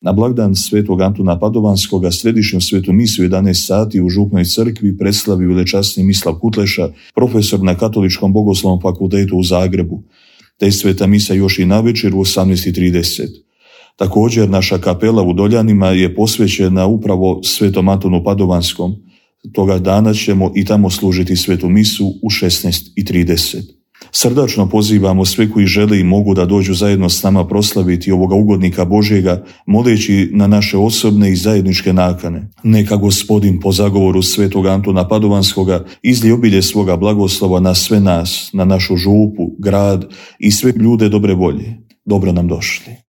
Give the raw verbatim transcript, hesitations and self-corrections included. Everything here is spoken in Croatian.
Na blagdan svetog Antuna Padovanskoga središnju svetu misu u jedanaest sati u Župnoj crkvi preslavi velečasni Mislav Kutleša, profesor na Katoličkom bogoslovnom fakultetu u Zagrebu, te sveta misa još i navečer u osamnaest i trideset. Također naša kapela u Doljanima je posvećena upravo svetom Antonu Padovanskom. Toga dana ćemo i tamo služiti svetu misu u šesnaest i trideset. Srdačno pozivamo sve koji žele i mogu da dođu zajedno s nama proslaviti ovoga ugodnika Božjega, moleći na naše osobne i zajedničke nakane. Neka Gospodin po zagovoru svetog Antuna Padovanskoga izlije obilje svoga blagoslova na sve nas, na našu župu, grad i sve ljude dobre volje. Dobro nam došli.